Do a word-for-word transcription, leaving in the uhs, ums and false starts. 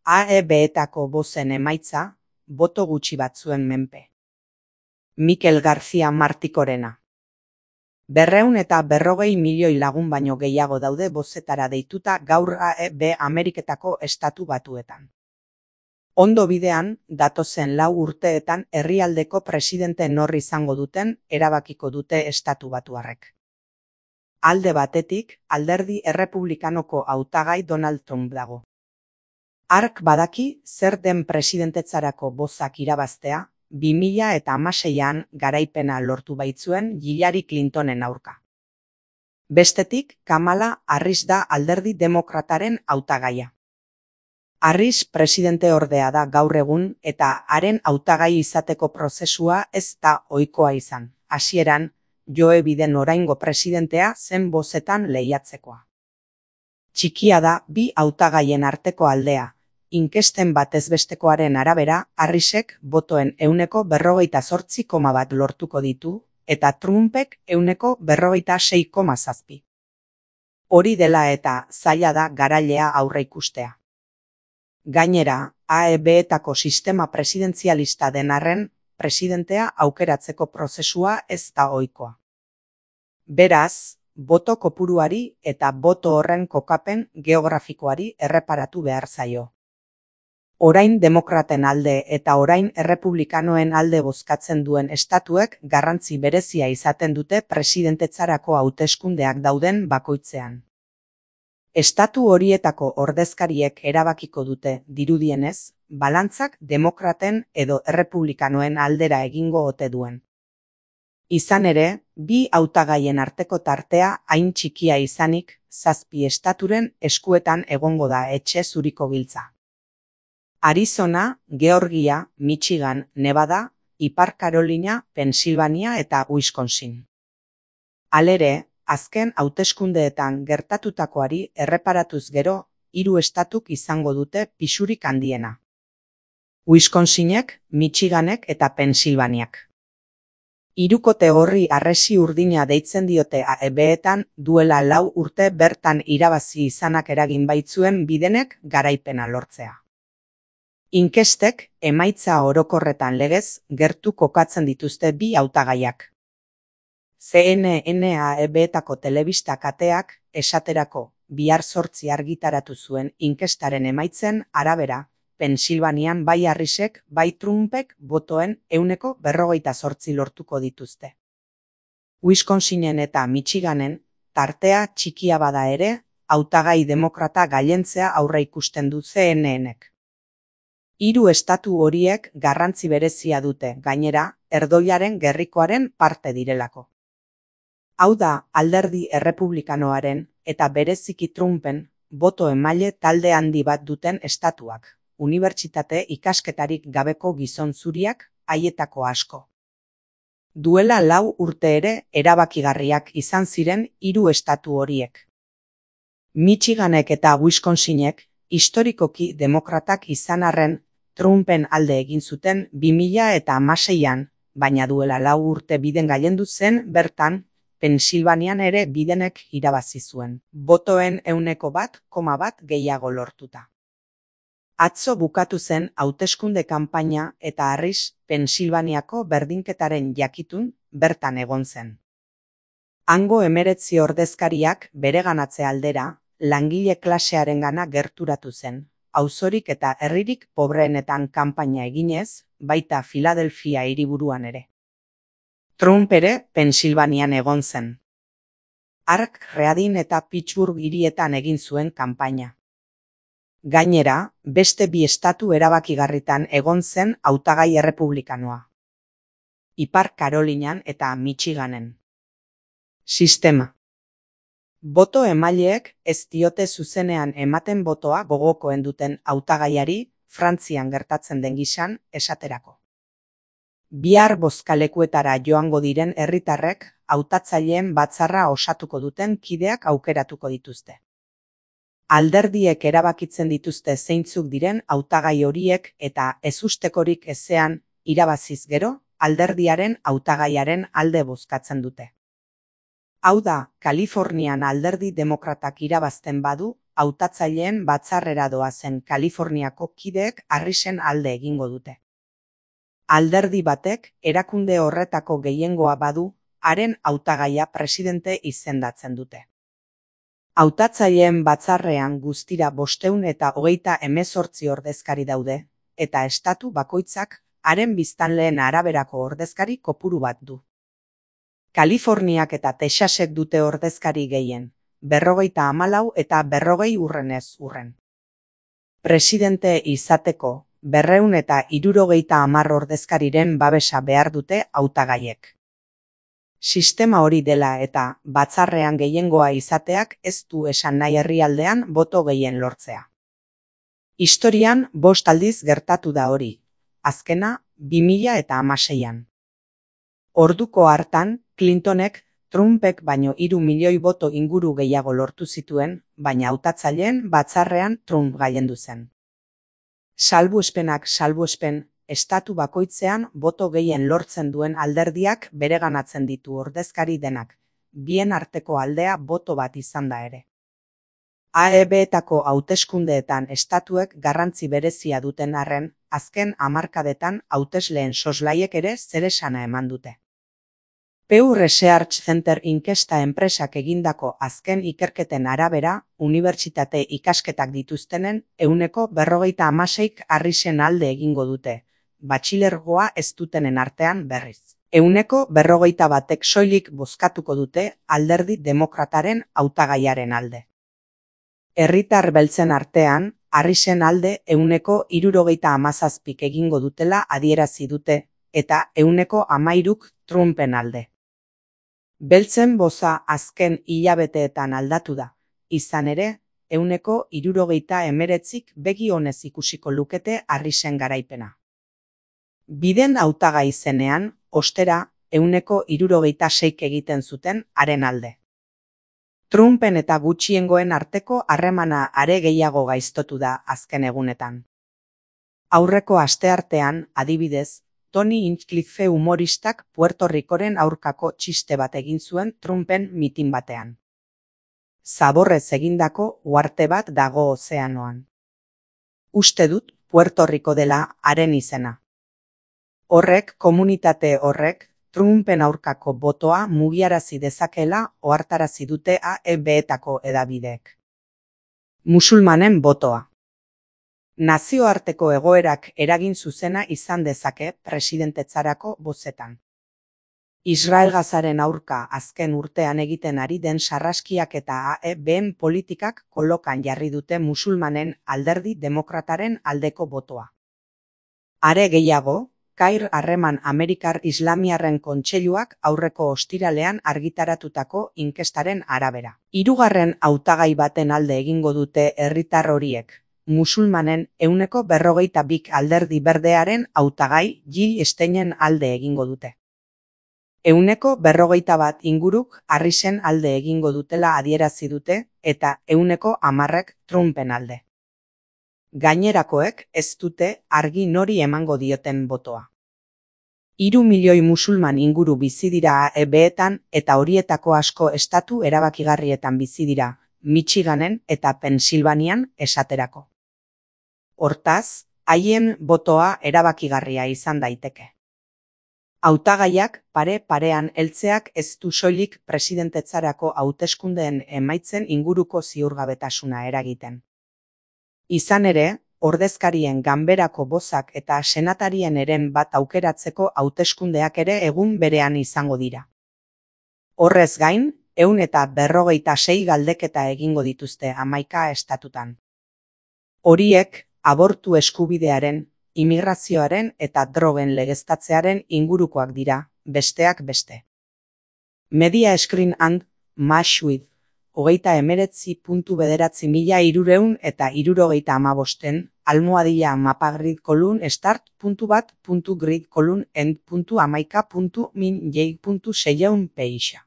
A E B-etako bozen emaitza, boto gutxi batzuen menpe. Mikel García Martikorena. Berreun eta berrogei milioi lagun baino gehiago daude bozetara deituta gaur A E B Ameriketako estatu batuetan. Ondo bidean, datozen lau urteetan herrialdeko presidente nor izango duten erabakiko dute estatu batuarrek. Alde batetik, alderdi errepublikanoko hautagai Donald Trump dago. Hark badaki zer den presidentetzarako bozak irabaztea, bi mila eta hamaseian garaipena lortu baitzuen Hillary Clintonen aurka. Bestetik, Kamala Harris da alderdi demokrataren hautagaia. Harris presidente ordea da gaur egun eta haren hautagai izateko prozesua ez da ohikoa izan. Hasieran, Joe Biden oraingo presidentea zen bozetan lehiatzekoa. Txikia da bi hautagaien arteko aldea. Inkesten batezbestekoaren arabera, Harrisek botoen ehuneko berrogeita zortzi koma bat lortuko ditu, eta Trumpek ehuneko berrogeita sei koma zazpi. Hori dela eta zaila da garailea aurreikustea. Gainera, A E B-etako sistema presidentzialista den arren, presidentea aukeratzeko prozesua ez da ohikoa. Beraz, boto kopuruari eta boto horren kokapen geografikoari erreparatu behar zaio. Orain demokraten alde eta orain errepublikanoen alde bozkatzen duen estatuek garrantzi berezia izaten dute presidentetzarako hauteskundeak dauden bakoitzean. Estatu horietako ordezkariek erabakiko dute, dirudienez, balantzak demokraten edo errepublikanoen aldera egingo ote duen. Izan ere, bi hautagaien arteko tartea hain txikia izanik, zazpi estaturen eskuetan egongo da etxe zuriko giltza. Arizona, Georgia, Michigan, Nevada, Ipar Carolina, Pensilvania eta Wisconsin. Halere, azken hauteskundeetan gertatutakoari erreparatuz gero, hiru estatuk izango dute pisurik handiena. Wisconsinek, Michiganek eta Pensilvaniak. Hirukote horri harresi urdina deitzen diote A E B-etan duela lau urte bertan irabazi izanak eragin baitzuen Bidenek garaipena lortzea. Inkestek emaitza orokorretan legez gertu kokatzen dituzte bi hautagaiak. C N N A E B-etako telebista kateak esaterako bihar zortzi argitaratu zuen inkestaren emaitzen arabera, Pensilvanian bai Harrisek bai Trumpek botoen ehuneko berrogeita zortzi lortuko dituzte. Wisconsinen eta Michiganen tartea txikia bada ere, hautagai demokrata gailentzea aurreikusten du C N N-ek. Hiru estatu horiek garrantzi berezia dute, gainera, erdoilaren gerrikoaren parte direlako. Hau da, alderdi errepublikanoaren eta bereziki Trumpen boto emaile talde handi bat duten estatuak, unibertsitate ikasketarik gabeko gizon zuriak, haietako asko. Duela lau urte ere erabakigarriak izan ziren hiru estatu horiek. Michiganek eta Wisconsinek historikoki demokratak izan arren Trumpen alde egin zuten bi mila eta hamaseian, baina duela lau urte Biden gailendu zen bertan, Pensilvanian ere Bidenek irabazi zuen, botoen ehuneko bat koma bat gehiago lortuta. Atzo bukatu zen hauteskunde kanpaina eta Harris Pensilvaniako berdinketaren jakitun bertan egon zen. Hango hemeretzi ordezkariak bereganatze aldera, langile klasearengana gerturatu zen, auzorik eta herririk pobreenetan kanpaina eginez, baita Filadelfia hiriburuan ere. Trump ere Pensilvanian egon zen. Hark Reading eta Pittsburgh hirietan egin zuen kanpaina. Gainera, beste bi estatu erabakigarritan egon zen hautagai errepublikanoa. Ipar Carolinan eta Michiganen. Sistema. Boto emaileek ez diote zuzenean ematen botoa gogokoen duten hautagaiari Frantzian gertatzen den gisan esaterako. Bihar bozkalekuetara joango diren herritarrek hautatzaileen batzarra osatuko duten kideak aukeratuko dituzte. Alderdiek erabakitzen dituzte zeintzuk diren hautagai horiek eta ezustekorik ezean irabaziz gero alderdiaren hautagaiaren alde bozkatzen dute. Hau da, Kalifornian alderdi demokratak irabazten badu, hautatzaileen batzarrera doazen Kaliforniako kideek Harrisen alde egingo dute. Alderdi batek erakunde horretako gehiengoa badu, haren hautagaia presidente izendatzen dute. Hautatzaileen batzarrean guztira bostehun eta hogeita hemezortzi ordezkari daude, eta estatu bakoitzak haren biztanleen araberako ordezkari kopuru bat du. Kaliforniak eta Texasek dute ordezkari gehien, berrogeita hamalau eta berrogei urrenez urren. Presidente izateko, berrehun eta hirurogeita hamar ordezkariren babesa behar dute hautagaiek. Sistema hori dela eta batzarrean gehiengoa izateak ez du esan nahi herrialdean boto gehien lortzea. Historian bost aldiz gertatu da hori, azkena bi mila eta hamaseian. Orduko hartan, Clintonek Trumpek baino hiru milioi boto inguru gehiago lortu zituen, baina hautatzaileen batzarrean Trump gailendu zen. Salbuespenak salbuespen, estatu bakoitzean boto gehien lortzen duen alderdiak bereganatzen ditu ordezkari denak, bien arteko aldea boto bat izan da ere. A E B-etako hauteskundeetan estatuek garrantzi berezia duten arren, azken hamarkadetan hautesleen soslaiek ere zeresana eman dute. Pew Research Center inkesta enpresak egindako azken ikerketen arabera, unibertsitate ikasketak dituztenen ehuneko berrogeita hamaseik Harrisen alde egingo dute, batxilergoa ez dutenen artean berriz. Ehuneko berrogeita batek soilik bozkatuko dute alderdi demokrataren hautagaiaren alde. Herritar beltzen artean, Harrisen alde ehuneko hirurogeita hamazazpik egingo dutela adierazi dute, eta ehuneko hamairuk Trumpen alde. Beltzen boza azken hilabeteetan aldatu da, izan ere, ehuneko hirurogeita hemeretzik begi onez ikusiko lukete Harrisen garaipena. Biden hautagai zenean, ostera, ehuneko hirurogeita seik egiten zuten haren alde. Trumpen eta gutxiengoen arteko harremana are gehiago gaiztotu da azken egunetan. Aurreko asteartean, adibidez, Tony Hinchcliffe humoristak Puerto Ricoren aurkako txiste bat egin zuen Trumpen mitin batean. Zaborrez egindako uharte bat dago ozeanoan. Uste dut Puerto Rico dela haren izena. Horrek, komunitate horrek, Trumpen aurkako botoa mugiarazi dezakela ohartarazi dute A E B-etako hedabideek. Musulmanen botoa. Nazioarteko egoerak eragin zuzena izan dezake presidentetzarako bozetan. Israel Gazaren aurka azken urtean egiten ari den sarraskiak eta A E B-en politikak kolokan jarri dute musulmanen alderdi demokrataren aldeko botoa. Are gehiago, Kair harreman Amerikar Islamiarren Kontseiluak aurreko ostiralean argitaratutako inkestaren arabera. Hirugarren hautagai baten alde egingo dute herritar horiek. Musulmanen ehuneko berrogeita bik alderdi berdearen hautagai Jill Steinen alde egingo dute. Ehuneko berrogeita bat inguruk Harrisen alde egingo dutela adierazi dute eta ehuneko hamarrek Trumpen alde. Gainerakoek ez dute argi nori emango dioten botoa. Hiru milioi musulman inguru bizi dira A E B-etan eta horietako asko estatu erabakigarrietan bizi dira, Michiganen eta Pensilvanian esaterako. Hortaz, haien botoa erabakigarria izan daiteke. Hautagaiak pare-parean heltzeak ez du soilik presidentetzarako hauteskundeen emaitzen inguruko ziurgabetasuna eragiten. Izan ere, ordezkarien ganberako bozak eta senatarien eren bat aukeratzeko hauteskundeak ere egun berean izango dira. Horrez gain, ehun eta berrogeita sei galdeketa egingo dituzte hamaika estatutan. Horiek, abortu eskubidearen, immigrazioaren eta drogen legeztatzearen ingurukoak dira, besteak beste. Media Screen and Match with, hogeita emeretzi puntu bederatzi mila hirurehun eta hirurogeita hamabosten, almohadilla mapagrid kolun start puntu bat puntu grid kolun end puntu hamaika puntu min jei puntu seiehun peixa.